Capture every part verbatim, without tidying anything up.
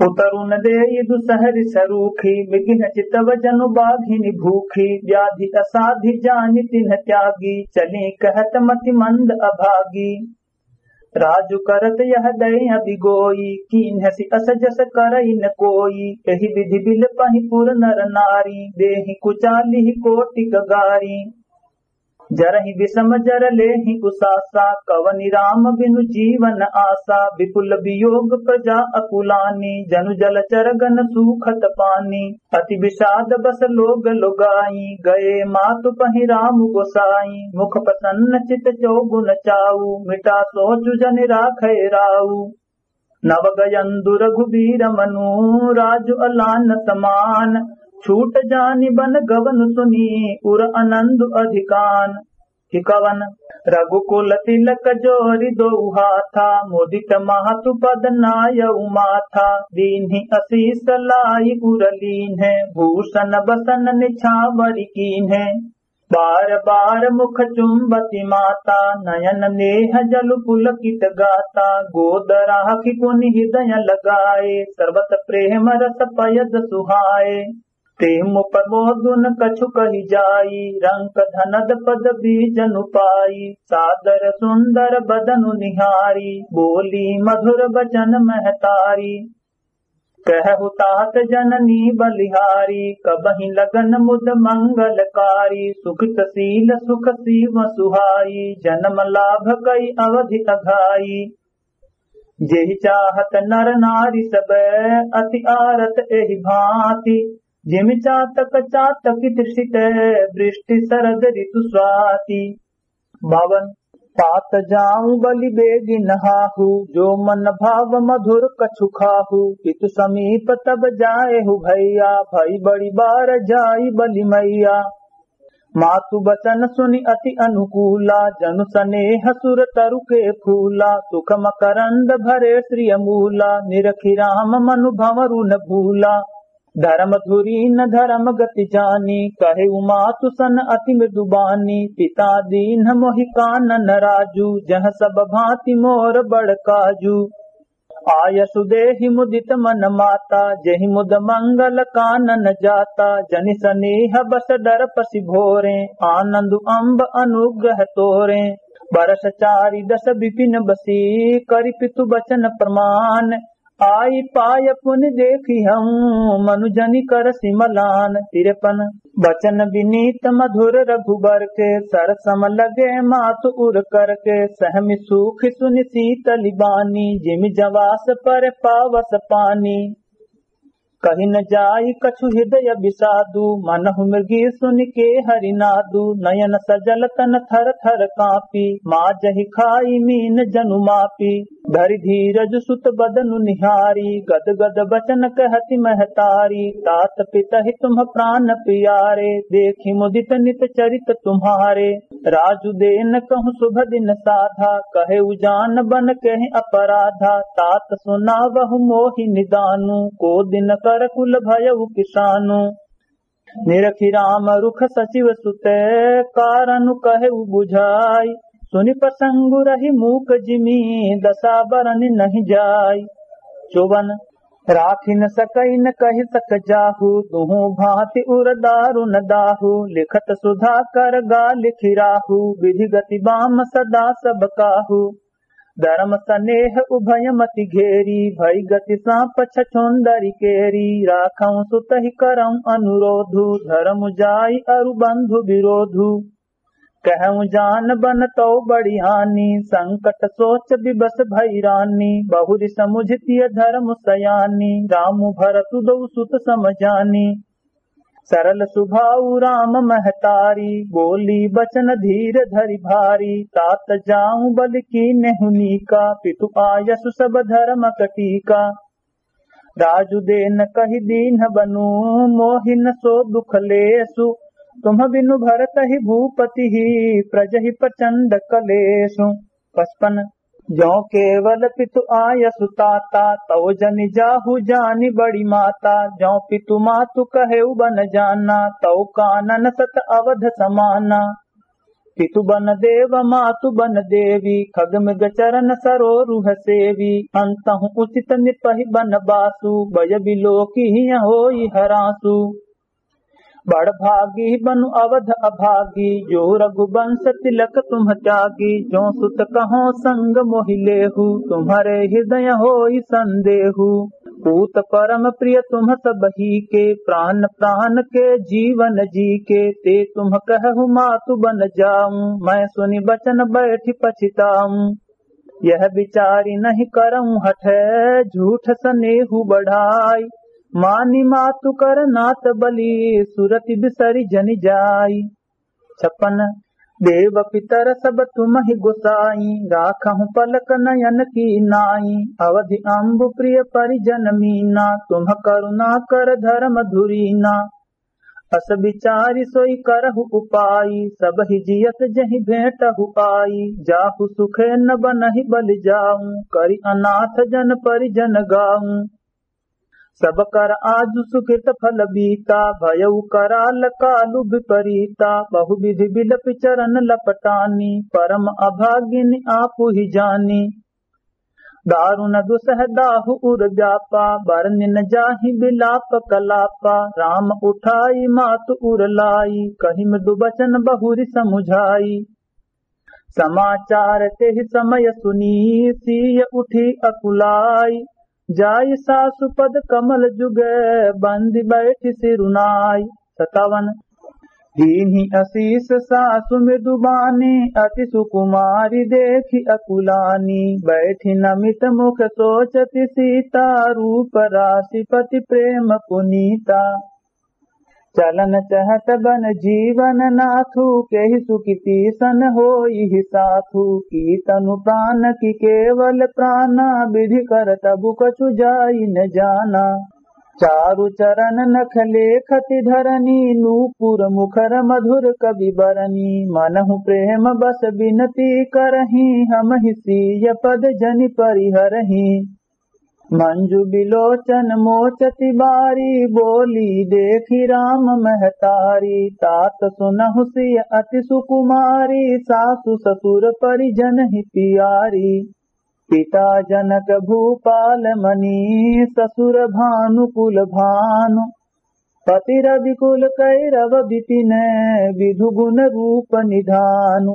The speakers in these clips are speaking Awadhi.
उतरुन देइ दुसहरि सरूखी, मृगिन चितव जनु बाघिनि भूखी। व्याधि असाधि जानि तिन्ह त्यागी, चलीं कहत मति मंद अभागी। राजु करत यह दय अबि गोई, कीन्हसि अस जस करइ न कोई। एहि विधि बिलपहिं उर नर नारी, देहिं कुचालिहि कोटिक गारी। जरहिं विषम जर लेहिं उसासा, कवनि राम बिनु जीवन आसा। विपुल वियोग प्रजा अकुलानी, जनु जलचर गन सूखत पानी। अति विषाद बस लोग लुगाई, गए मातु पहि राम गोसाई। मुख प्रसन्न चित चौगुन चाऊ, मिटा सोचु जनि राखै राऊ। नव गयंदु रघुबीर मनु, राजु अलान समान। छूट जानि बन गवन सुनि, उर अनंदु अधिकान। कि कवन रघुकुल तिलक जोरि दोउ हाथा, मुदित मातु पद नायउ माथा। दीन्हि असीस लाइ उर लीन्हे, भूषण बसन निछावरि कीन्हे। बार बार मुख चुंबति माता, नयन नेह जलु पुलकित गाता। गोद राखि पुनि हृदय लगाए, सर्वत प्रेम रस पयद सुहाए। तें मुप मोदुन कछु कहि जाई, रंक धनद पद बीजनु पाई। सादर सुंदर बदनु निहारी, बोली मधुर बचन महतारी। कहु तात जननी बलिहारी, कबहिं लगन मुद मंगलकारी। सुकृत सील सुख सीव सुहाई, जनम लाभ कइ अवधि अघाई। जेहि चाहत नर नारी सब, अति आरत एहि भाँति। जिमि चातक चातकि तृषित, वृष्टि सरद ऋतु स्वाति। बावन। तात जाउँ बलि बेगि नहाहु, जो मन भाव मधुर कछु खाहु। पितु समीप तब जाएहु भैया, भई बड़ी बार जाई बलि मैया। मातु बचन सुनि अति अनुकूला, जनु सनेह सुर तरु के फूला। सुख मकरंद भरे श्रिय मूला, निरखि राम मनु भंवरु न भूला। धरम धुरी न धरम गति जानी, कहेउ मातु सन अति मृदु बानी। पिता दीन्ह मोहि कानन राजु, जह सब भाँति मोर बड़ काजु। आयसु देहि मुदित मन माता, जेहि मुद मंगल कानन जाता। जनि सनेह बस डरपसि भोरें, आनंदु अम्ब अनुग्रह तोरें। बरस चारि दस बिपिन बसी, करि पितु बचन प्रमाण। आई पाय पुनि देखिहउँ, मनु जनि करसि मलान। तिरपन। बचन बिनीत मधुर रघुबर के, सरसम लगे मातु उर करके। सहमि सूखि सुनि सीतलि बानी, जिमि जवास पर पावस पानी। कहि न जाइ कछु हृदय बिसादु, मनहु मृगी सुनि के हरि नादु। नयन सजल तन थर थर काँपी, माजहि खाइ मीन जनु मापी। धरि धीरज सुत बदनु निहारी, गद गद बचन कहति महतारी। तात पितहि तुम्ह प्रान पियारे, देखि मुदित नित चरित तुम्हारे। राजु देन कहु सुभ दिन साधा, कहेउ जान बन केहि अपराधा। तात सुनावहु मोहि निदानु, को दिन कर कुल भयउ किसानु। निरखि राम रुख सचिव सुत, कारनु कहेउ बुझाई। सुनि प्रसंगु रहि मूक जिमि, दसा बरन नहिं जाई। चौवन। राखि न सकइ न कहि सक जाहु, दुहु भाँति उर दारुन दाहु। लिखत सुधाकर गा लिखि राहु, विधि गति बाम सदा सब काहु। धरम सनेह उभय मति घेरी, भई गति साँप छछोंदरि केरी। राखउँ सुतहि करउँ अनुरोधु, धरम जाइ अरु बंधु विरोधु। कहउँ जान बन तौ बड़ी हानि, संकट सोच विवश भई रानी। बहुरि समुझि तिय धरम सयानी, रामु भरतु दौ सुत सम जानी। सरल सुभाउ राम महतारी, बोली बचन धीर धरि भारी। तात जाउँ बलि कीन्हेउ नीका, पितु आयसु सब धरमक टीका। राजु देन कहि दीन्ह बनु, मोहि न सो दुख लेसु। तुम्ह बिनु भरतहि भूपतिहि, प्रजहि प्रचंड कलेसु। पचपन। जौ केवल पितु आयसु ताता, तौ जनि जाहु जानि बड़ी माता। जौ पितु मातु कहेउ बन जाना, तौ कानन सत अवध समाना। पितु बन देव मातु बन देवी, खग मृग चरण सरोरुह सेवी। अंतहु उचित नृपहि बन बासु, बय बिलोकि हिय होई हरासु। बड़ भागी बनु अवध अभागी, जो रघुबंस तिलक तुम त्यागी। जो सुत कहो संग मोहि लेहु, तुम्हरे हृदय होई संदेहु। पूत परम प्रिय तुम सबही के, प्राण प्राण के जीवन जी के। ते तुम कहु मातु बन जाऊं, मैं सुनि बचन बैठि पछिताऊं। यह बिचारि नहीं करऊं हठ, झूठ सनेहु बढ़ाई। मानि मातु कर नात बलि, सुरति बिसरि जनि जाई। छप्पन। देव पितर सब तुमहि गोसाई, राखहु पलक नयन की नाई। अवधि अम्बु प्रिय परिजन मीना, तुम करुणा कर धर्म धुरीना। अस बिचारि सोई करहु उपाई, सबहि जियत जहि भेंटहु आई। जाहु सुखे न बनहि बलि जाऊं, करि अनाथ जन परिजन गाऊं। सब कर आजु सुकृत फल बीता, भयउ कराल कालु विपरीता। बहु विधि बिलपि चरण लपटानी, परम अभागिनि आपु ही जानी। दारुन दुसह दाहु उर व्यापा, बरनिन जाहि बिलाप कलापा। राम उठाई मातु उर लाई, कहि मृदु बचन बहुरि समुझाई। समाचार तेहि समय सुनी, सीय उठी अकुलाई। जाई सासु पद कमल जुग, बंदि बैठि सिरुनाई। सतावन। दीन्हि असीस सासु मृदु बानी, अति सुकुमारि देखि अकुलानी। बैठि नमित मुख सोचति सीता, रूप रासि पति प्रेम पुनीता। चलन चहत बन जीवन नाथु, केहि सुखि तीसन होई ही साथु। की तनु प्रान की केवल प्राना, विधि कर तबु कछु जाई न जाना। चारु चरण नख लेखति धरनी, नूपुर मुखर मधुर कवि बरनी। मनहु प्रेम बस बिनती करही, हमहि सीय पद जनि परिहरही। मंजु बिलोचन मोचति बारी, बोली देखि राम महतारी। तात सुनहु सिय अति सुकुमारी, सासु ससुर परिजन ही पियारी। पिता जनक भूपाल मनी, ससुर भानुकुल भानु। पति रवि कुल कैरव बिपिन, विधु गुण रूप निधानु।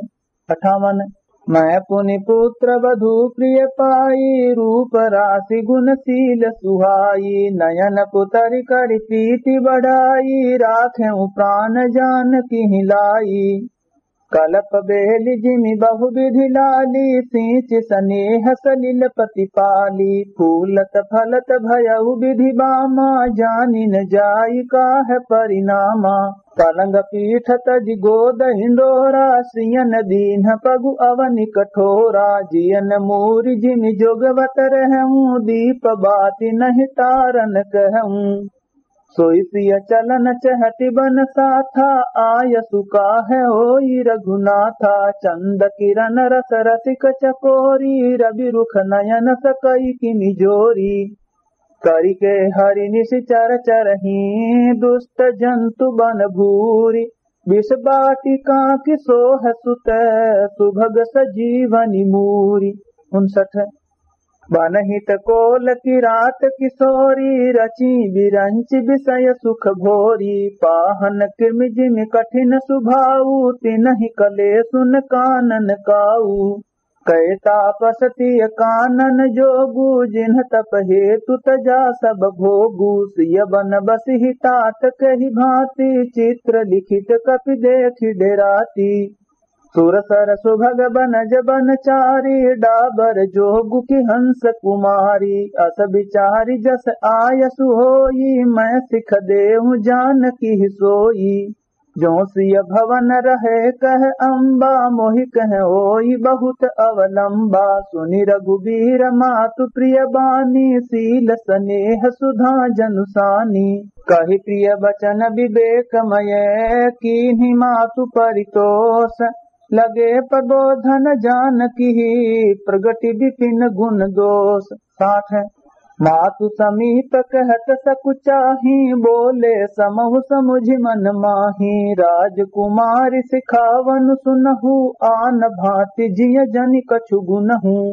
अठावन। मैं पुनि पुत्र वधु प्रिय पाई, रूप रासि गुण सील सुहाई। नयन पुतरि करि प्रीति बढ़ाई, राखेउ प्रान जानकि ही लाई। कलप बेलि जिमि बहु विधि लाली, सींचि सनेह सलिल पति पाली। फूलत फलत भयउ विधि बामा, जानि न जाई काह परिनामा। पलंग पीठ तजि गोद हिंडोरा, सियन दीन्ह पगु अवनि कठोरा। जियन मूरि जिमि जोगवत रहउँ, दीप बाति नहीं तारन कहउँ। सोई सिय चलन चहटि बन साथा, आयसु काहे होई रघुनाथा। चंद किरन रस रसिक चकोरी, रवि रुख नयन सकई किमि जोरी। करिके हरि निशिचर चरही, दुष्ट जंतु बन भूरी। विष बाटिका कि सोह सुत, सुभग सजीवनि मूरी। उनसठ। बनहित कोल किरात किशोरी, रची बिरंचि विषय सुख भोरी। पाहन किमि जिमि कठिन सुभाऊ, तिनहि कलेसु न कानन काऊ। कहे तापस तिय कानन जोगु, जिन्ह तप हेतु तजा सब भोगु। सिय बन बसिहि तात कहि भाँति, चित्र लिखित कपि देखि डेराति। सुरसर सुभग बनज बनचारी, डाबर जोगु कि हंस कुमारी। अस बिचारी जस आयसु होई, मैं सिख देउँ जानकि ही सोई। जो सिय भवन रहे कह अम्बा, मोहि कह होई बहुत अवलंबा। सुनि रघुबीर मातु प्रिय बानी, सील सनेह सुधा जनु सानी। कहि प्रिय बचन विवेकमय, कीन्हि मातु परितोष। लगे प्रबोधन जानकि ही, प्रगटि विपिन गुण दोष। साठ। मातु समीप कहत सकुचाही, बोले समहु समुझि मन माही। राजकुमारि सिखावनु सुनहु, आन भाँति जिय जनि कछु गुनहु।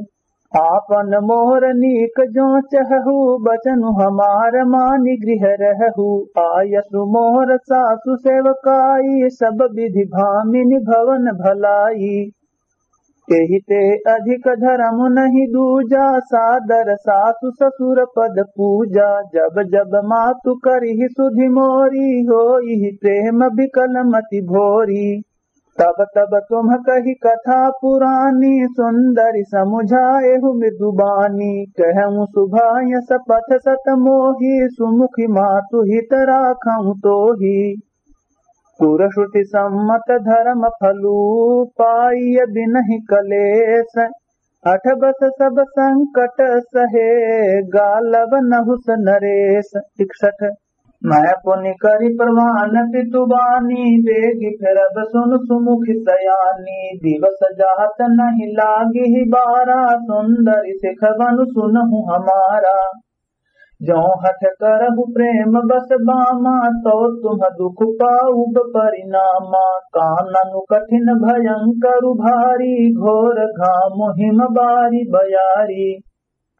आपन मोर नीक जो चहहु, बचनु हमार मानि गृह रहहु। आयसु मोर सासु सेवकाई, सब विधि भामिनि भवन भलाई। एहि ते अधिक धरम नहीं दूजा, सादर सासु ससुर पद पूजा। जब जब मातु करिहि सुधि मोरी, होइहि प्रेम बिकल मति भोरी। तब तब तुम्ह कहि कथा पुरानी, सुंदरि समुझाएहु मृदु बानी। कहउँ सुभायस पथ सत मोही, सुमुखि मातु हित राखउँ तोही। कुरश्रुति सम्मत धरम फलु, पाइय बिनहि कलेस। हठ बस सब संकट सहे, गालव नहुस नरेस। इकसठ। मैं पुनि करि प्रमाण पितु बानी, बेगि फिरब सुनु सुमुखि सयानी। दिवस जात नहीं लागिहि बारा, सुंदरि सिखवनु सुनहु हमारा। जो हठ करहु प्रेम बस बामा, तो तुम दुख पाउब परिणामा। काननु कठिन भयंकर भारी, घोर घाम हिम बारी बयारी।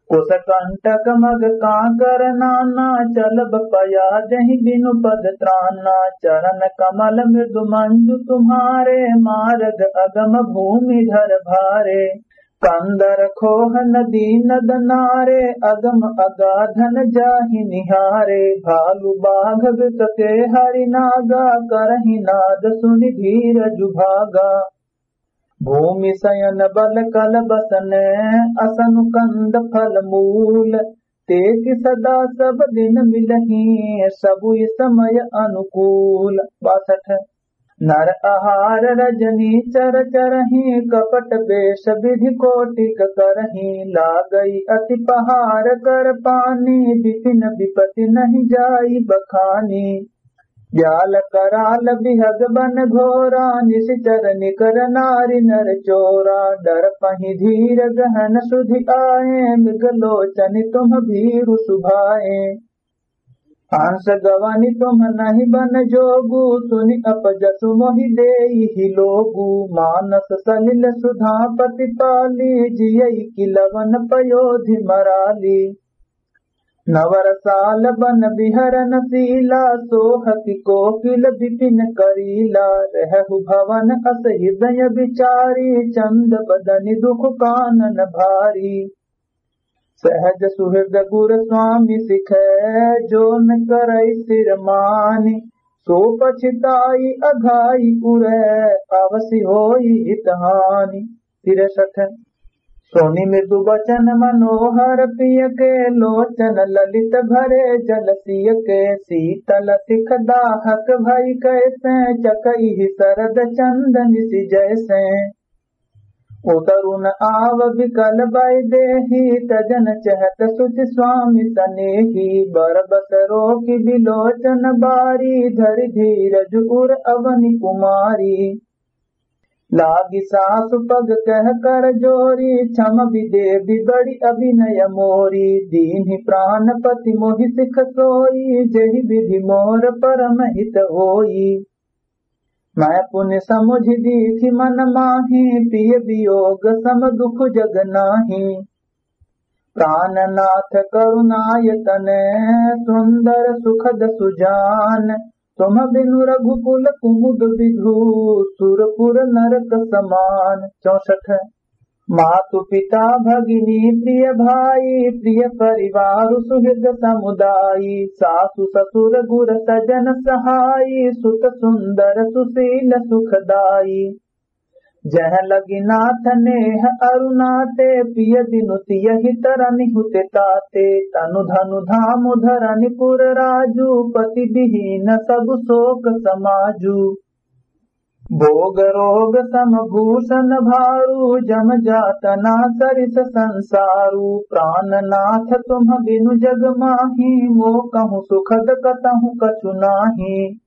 कुस कंटक मग कांकर नाना, चलब पया जहि बिनु पद त्राना। चरण कमल मृदु मंजु तुम्हारे, मारग अगम भूमिधर भारे। कंदर खोह नदी नद नारे, अगम अगाधन जाहि निहारे। भालु बाघ बिकटे हरि नागा, करहि नाद सुनि धीरजु भागा। भूमि सयन बल कल बसन, असनु कंद फल मूल। तेकि सदा सब दिन मिलहीं, सबुइ समय अनुकूल। बासठ। नर आहार रजनी चर चरहीं, कपट बेष विधि कोटिक करहीं। लागइ अति पहार कर पानी, बिपिन बिपति नहीं जाई बखानी। ब्याल कराल बिहग बन घोरा, निशिचर निकर नारी नर चोरा। डरपहिं धीर गहन सुधि आए, मृग लोचन तुम भीरु सुभाए। हंस गवनि तुम नहीं बन जोगु, सुनि अपजसु मोहि देइहि लोगु। मानस सलिल सुधापति पाली, जियइ किलवन पयोधि मराली। नवरसाल बन बिहरन सीला, सोहति कोकिल बिपिन करीला। रहहु भवन अस हृदय बिचारी, चंद बदनि दुख कानन भारी। सहज सुहृद गुर स्वामी सिखै, जो न करइ सिर मानि। सो पछिताई अघाई उरै, अवसि होई हित हानि। तिरसठ। सुनि मृदु बचन मनोहर पिय के, लोचन ललित भरे जल सिय के। शीतल सिख दाहक भई कैसें, चकइहि सरद चंदनि सिजैसें। उतरु न आव बिकल बइ देहि, तजन चहत सुचि स्वामी सनेहि। बरबस रोकि बिलोचन बारी, धरि धीरज उर अवनि कुमारी। लागि सासु पग कह कर जोरी, क्षम बि देबि बड़ी अभिनय मोरी। दीन्हि प्राणपति मोहि सिख सोई, जेहि विधि मोर परम हित होई। मैं पुनि समुझि दीखि मन माही, पिय वियोग सम दुख जग नाही। प्राणनाथ करुणायतन, सुंदर सुखद सुजान। तुम बिनु रघुकुल कुमुद विधु, सुरपुर नरक समान। चौसठ। मातु पिता भगिनी प्रिय भाई, प्रिय परिवार सुहृद समुदायी। सासु ससुर गुर सजन सहाई, सुत सुंदर सुशील सुखदाई। जह लगी नाथ नेह अरु नाते, पिय बिनु तियहि तरनि हुते ताते। तनु धनु धाम धरनि पुर राजु, पति विहीन सब शोक समाजु। भोग रोग सम भूषण भारू, जम जातना सरिस संसारू। प्राणनाथ तुम बिनु जग माही, मोकहु सुखद कतहु कछु नाही।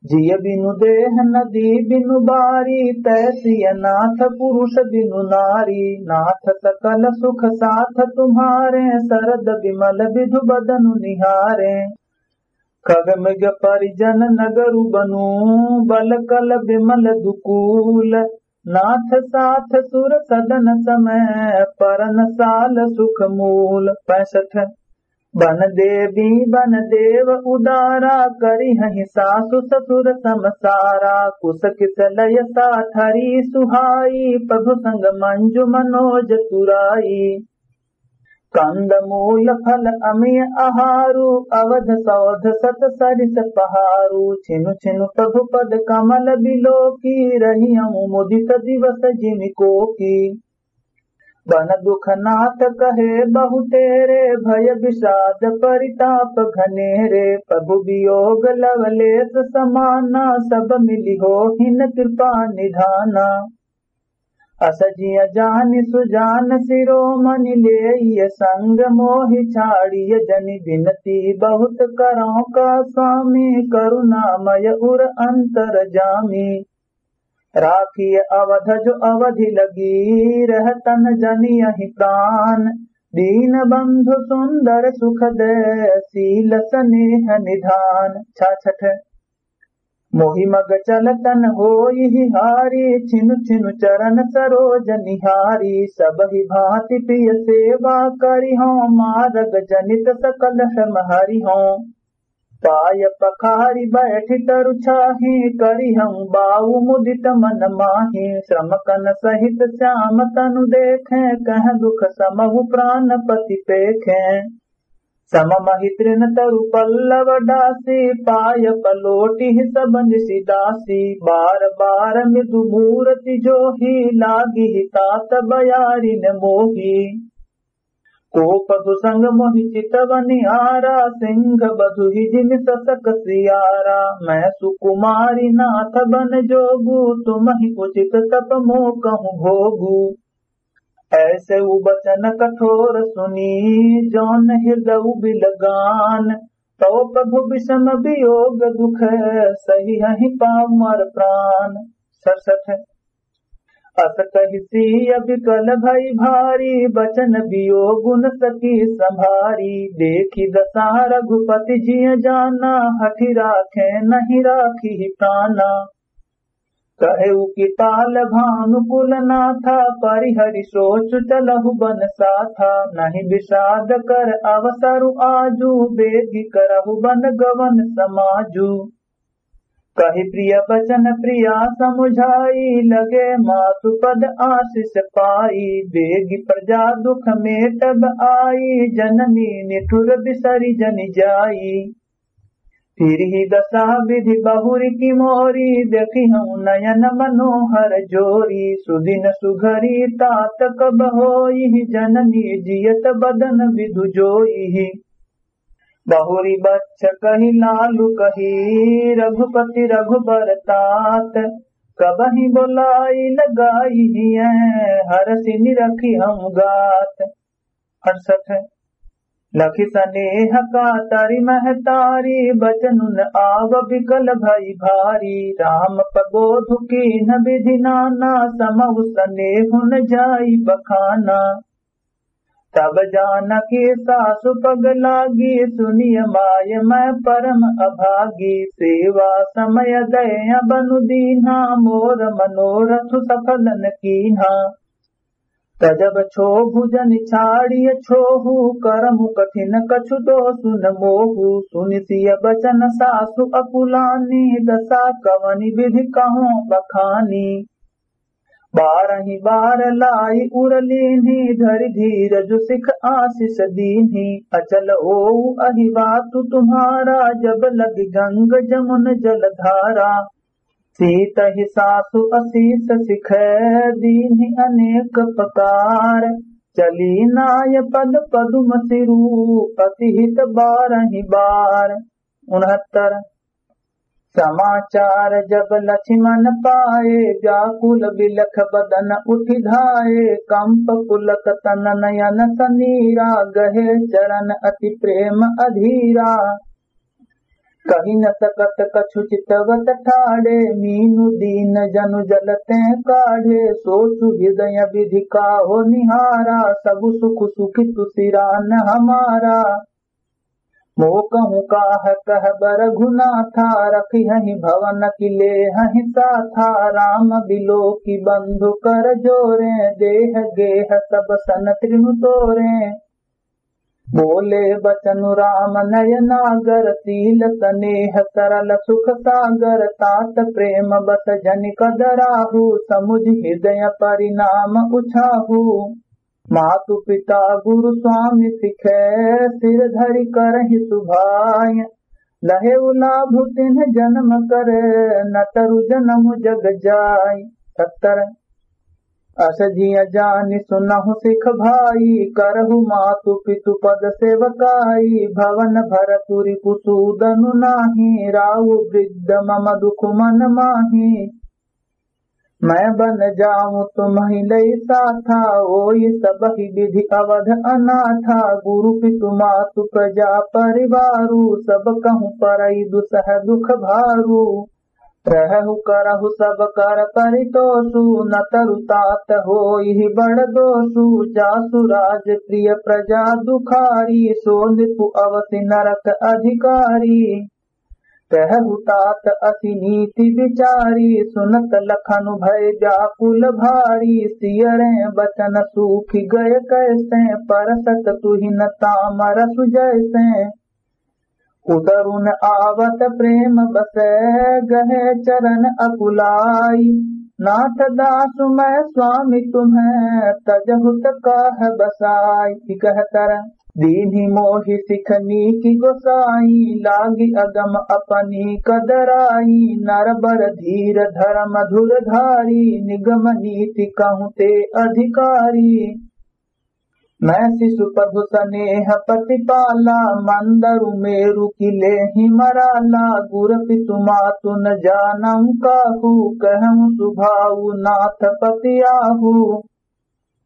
जिय बिनु देह नदी बिनु बारी, तैसिय नाथ पुरुष बिनु नारी। नाथ सकल सुख साथ तुम्हारे, सरद बिमल बिधु बदनु निहारे। खग मृग परिजन नगरु बनु, बल कल बिमल दुकूल। नाथ साथ सुर सदन समय, परन साल सुख मूल। पैंसठ। बन देवी बन देव उदारा, करिहहि सासु ससुर समसारा। कुस किस लय साथरी सुहाई, प्रभु संग मंजु मनोज तुराई। कंद मूल फल अमिय आहारु, अवध सौध सत सरिस पहारु। छिनु छिनु प्रभु पद कमल बिलोकी, रहियहु मुदित दिवस जिमिकोकी। बन दुख नाथ कहे बहुतेरे, भय विषाद परिताप घनेरे। प्रभु वियोग लवलेस समाना, सब मिलि होहिन कृपा निधाना। अस जिय जानि सुजान सिरोमणि, लेइय संग मोहि छाड़िय जनि। विनती बहुत करौं का स्वामी, करुणामय उर अंतरजामी। राखिय अवध जो अवधि लगी, रहतन जनियहि प्राण। दीन बंधु सुंदर सुख दे, शील स्नेह निधान। छाछठ। मोहि मग चलतन होइहि हारी, छिनु छिनु चरण सरोज निहारी। सबहि भांति प्रिय सेवा करिहौं, मारग जनित सकल श्रम हरिहौं। पाय पखारि बैठि तरु छाहि, करिहौं बाउ मुदित मन माहि। श्रमकन सहित श्याम तनु देखें, कहँ दुख समहु प्रान पति पेखें। सम महि तृण तरु पल्लव डासि, पाय पलोटिहि सब निसि दासि। बार बार मृदु मूरति जोहि, लागिहि तात बयारिन मोहि। कोप दुसंग मोहि चितवनि आरा, सिंह बधुहि जिमि ससक सियारा। मैं सुकुमारि नाथ बन जोगु, तुमहि उचित तप मो कहु भोगु। ऐसे उ बचन कठोर सुनि, जौन हृदउ बिलगान। तौ प्रभु विषम वियोग दुख, सहिहहि पामर प्रान। सड़सठ। अस कहि सिय विकल भई भारी, बचन वियोगु न सकी संभारी। देखि दसा रघुपति जिय जाना, हठि राखें नहीं राखिहि प्राना। कहेउ कि पाल भानुकुल नाथा, परिहरि सोचु चलहु बन साथा। नहीं विषाद कर अवसरु आजु, बेगि करहु बन गवन समाजु। कहि प्रिय बचन प्रिया समुझाई, लगे मातु पद आशीष पाई। बेगि प्रजा दुख मेटब आई, जननी निठुर बिसरि जनि जाई। फिरहिं दसा विधि बहुरि कि मोरी, देखिहौं नयन मनोहर जोरी। सुदिन सुघरी तात कब होइहि, जननी जियत बदन विधु जोइहि। बहुरि बच्छ कहि लालु कहि, रघुपति रघुबर तात। कबहिं बोलाइ न गाइहियँ, हरषि निरखिहौं गात। अड़सठ। लखि सनेह कातरि महतारी, बचन उन आव बिकल भई भारी। राम प्रबोधु कीन्ह बिधि नाना, समउ सनेहु न जाई बखाना। तब जानकी सासु पग लागी, सुनिय माय मैं परम अभागी। सेवा समय दय बनु दीन्हा, मोर मनोरथ सफल न कीन्हा। तजब छोहु जनि छाड़िय छोहु, करमु कठिन कछु दोषु न मोहु। सुनि सिय बचन सासु अकुलानी, दसा कवनि बिधि कहौं बखानी। बारहिं बार लाइ उर लीन्ही, धरि धीरजु सिख आशीष दीन्ही। अचल होउ अहिवातु तुम्हारा, जब लगि गंग जमुन जलधारा। सीतहि सासु असीस सिख दीन्ही अनेक प्रकार। चली नाय पद पदुम सिरु अति हित बारहिं बार। उनहत्तर। समाचार जब लछिमन पाए, व्याकुल बिलख बदन उठि धाए। कंप पुलक तन नयन सनीरा, गहे चरण अति प्रेम अधीरा। कहि न सकत कछु चितवत ठाढ़े, मीनु दीन जनु जलते काढ़े। सोचु हृदय विधि काहो निहारा, सब सुख सुखी तू सिरान हमारा। मोकहु काह कहब रघुनाथा, रखिहहि भवन की लेहहि साथा। राम बिलोकि बंधु कर जोरे, देह गेह सब सन तृनु तोरे। बोले बचनु राम नय नागर, सील सनेह सरल सुख सागर। तात प्रेम बस जनि कदराहु, समुझ हृदय परिणाम उछाहु। मातु पिता गुरु स्वामी सिखे, सिर धरि करहि सुभाय। लहेउ लाभ तिन्ह जन्म कर, न तरु जनम जग जाय। सत्तर। अस जिय जानि सुनहु सिख भाई, करहु मातु पितु पद सेवकाई। भवन भरतु रिपु सूदनु नाही, राउ वृद्ध मम दुख मन माही। मैं बन जाऊं तुम्हि लई साथा, ओई सबहि विधि अवध अनाथा। गुरु पितु मातु प्रजा परिवारु, सब कहूँ परई दुसह दुख भारू। रहहु करहु सब कर परितोषु, न तरु तात होई बड़ दोषु। जासु राज प्रिय प्रजा दुखारी, सो नृपु अवसि नरक अधिकारी। कहहु तात असि नीति विचारी, सुनत लखन भय व्याकुल भारी। सियरे बचन सूखि गय कैसे, परसत तुहिन तामरसु जैसे। उतरुन आवत प्रेम बसे, गहे चरण अकुलाई। नाथ दासु मैं स्वामी तुम्हें, तजहु त काह बसाई। इकहतर। दीन्हि मोहि सिख नीकि गोसाई, लागि अगम अपनी कदराई। नर बर धीर धरम धुर धारी, निगम नीति कहूँ ते अधिकारी। मैं शिशु प्रभु सनेह पति पाला, मंदरु मेरु की लेहि मराला। गुर पितु मातु न जानहु काहू, कहूँ सुभाऊ नाथ पति आहू।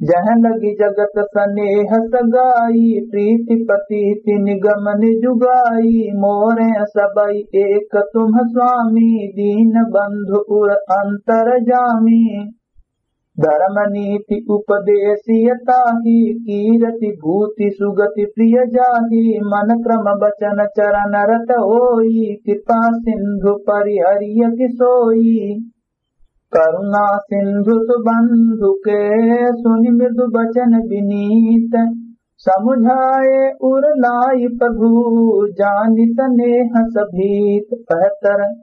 जह लगी जगत सनेह सगाई, प्रीति पतीति निगम निजुगाई। मोरे सबई एक तुम स्वामी, दीन बंधु उर अंतरजामी। धर्म नीति उपदेसिय ताही, कीरति भूति सुगति प्रिय जाही। मन क्रम बचन चरण रत होई, कृपा सिंधु परिहरिय कि सोई। करुणा सिंधु सुबंधु के, सुनि मृदु बचन विनीत। समुझाए उर लाई प्रभु, जानि सनेह सभीत। बहत्तर।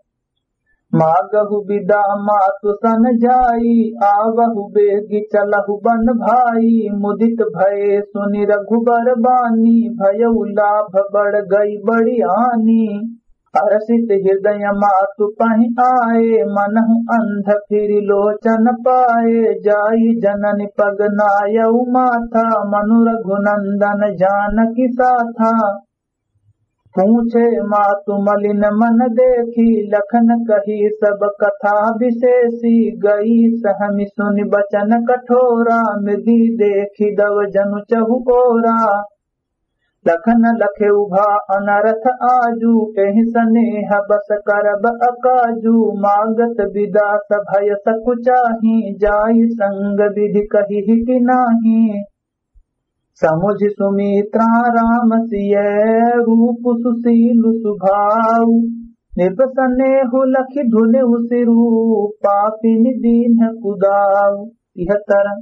मागहु बिदा मातु सन जाई, आवहु बेगि चलहु बन भाई। मुदित भए सुनि रघुबर बानी, भयउ लाभ बड़ गई बड़ी हानि। हरषित हृदय मातु पहि आए, मनहु अंध फिरि लोचन पाए। जाई जननि पग नायउ माथा, मनु रघुनंदन जानकि साथा। पूछे मातु मलिन मन देखी, लखन कही सब कथा विशेषी। गई सहमि सुनि बचन कठोरा, मृगि देखि दव जनु चहु ओरा। लखन लखे उभा अनरथ आजु, एहि सनेह बस करब अकाजु। मागत बिदा सभय सकुचाही, जाई संग विधि कहिहि कि नाही। समुझि सुमित्रा राम सिय, रूप सुशील सुभाऊ। नृप सनेहु लखि धुनिउ सिरु, पापिनि दीन्ह कुदाऊ। तिहत्तर।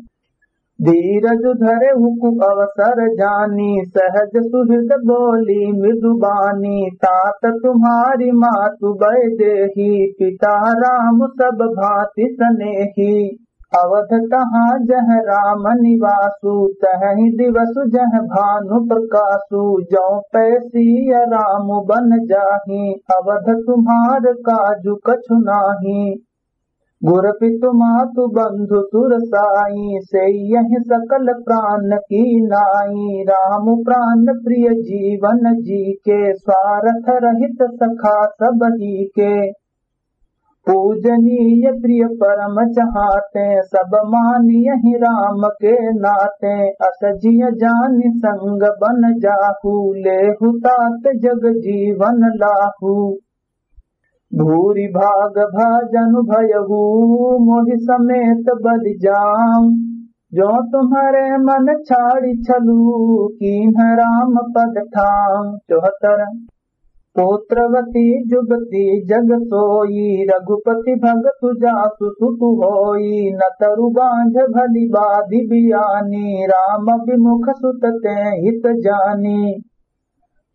धीरज धरेहु कु अवसर जानी, सहज सुहृद बोली मृदु बानी। तात तुम्हारी मातु वैदेही, पिता राम सब भांति सनेही। अवध तहाँ जह राम निवासु, तहहि दिवसु जह भानु प्रकासु। जौ पै सिय राम बन जाही, अवध तुम्हार काजु कछु नाही। गुर पितु मातु बंधु सुर साई, सेयहि सकल प्रान की नाई। राम प्रान प्रिय जीवन जी के, स्वारथ रहित सखा सबही के। पूजनीय प्रिय परम चहाते, सब मानियहि राम के नाते। अस जिय जानि संग बन जाहू, लेहु तात जग जीवन लाहू। भूरि भाग भजन भयहु मोहि समेत बलि जाउँ। जो तुम्हरे मन छाड़ि छलु कीन्ह राम पद ठाउँ। चौहत्तर। पुत्रवती जुवती जग सोई रघुपति भगतु जासु सुतु होई। न तरु बाँझ भली बाधि बियानी राम बिमुख सुत तें हित जानी।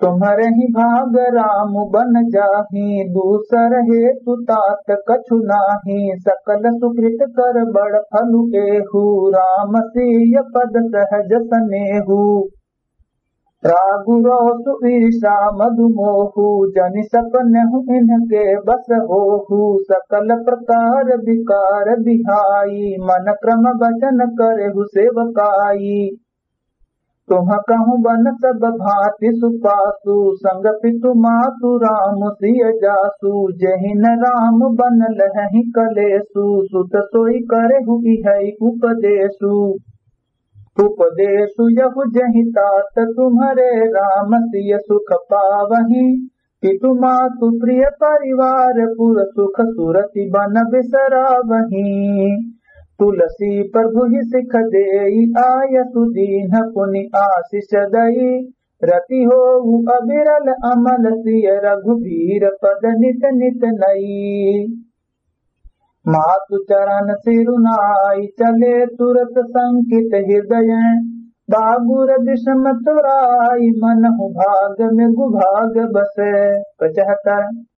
तुम्हरे ही भाग राम बन जाही दूसर हेतु तात कछु नाही। सकल सुकृत कर बड़ फलु एहु राम सिय पद सहज सनेहु। रागु रोसु ईर्षा मधु मोहु जनि सपनहु इनके बस होहु। सकल प्रकार विकार बिहाई मन क्रम वचन करेहु सेवकाई। तुम कहूँ बन सब भाँति सुपासु संग पितु मातु राम सिय जासु। जेहि न राम बन लहहि कलेसु सुत सोई करेहु इहै उपदेसु। उपदेसु यहु जेहि तात तुम्हरे राम सिय सुख पावही। पितु मातु प्रिय परिवार पुर सुख सुरति बन बिसरावही। तुलसी प्रभु ही सिख देई आयसु दीन्ह पुनि आशिष दई। रति होउ अविरल अमल सिय रघुबीर पद नित नित नई। मातु चरण सिरु नाई चले तुरत संकित हृदय। बागुर विषम तुराई मनहु भाग मृगु भाग बसे। पचहत्तर।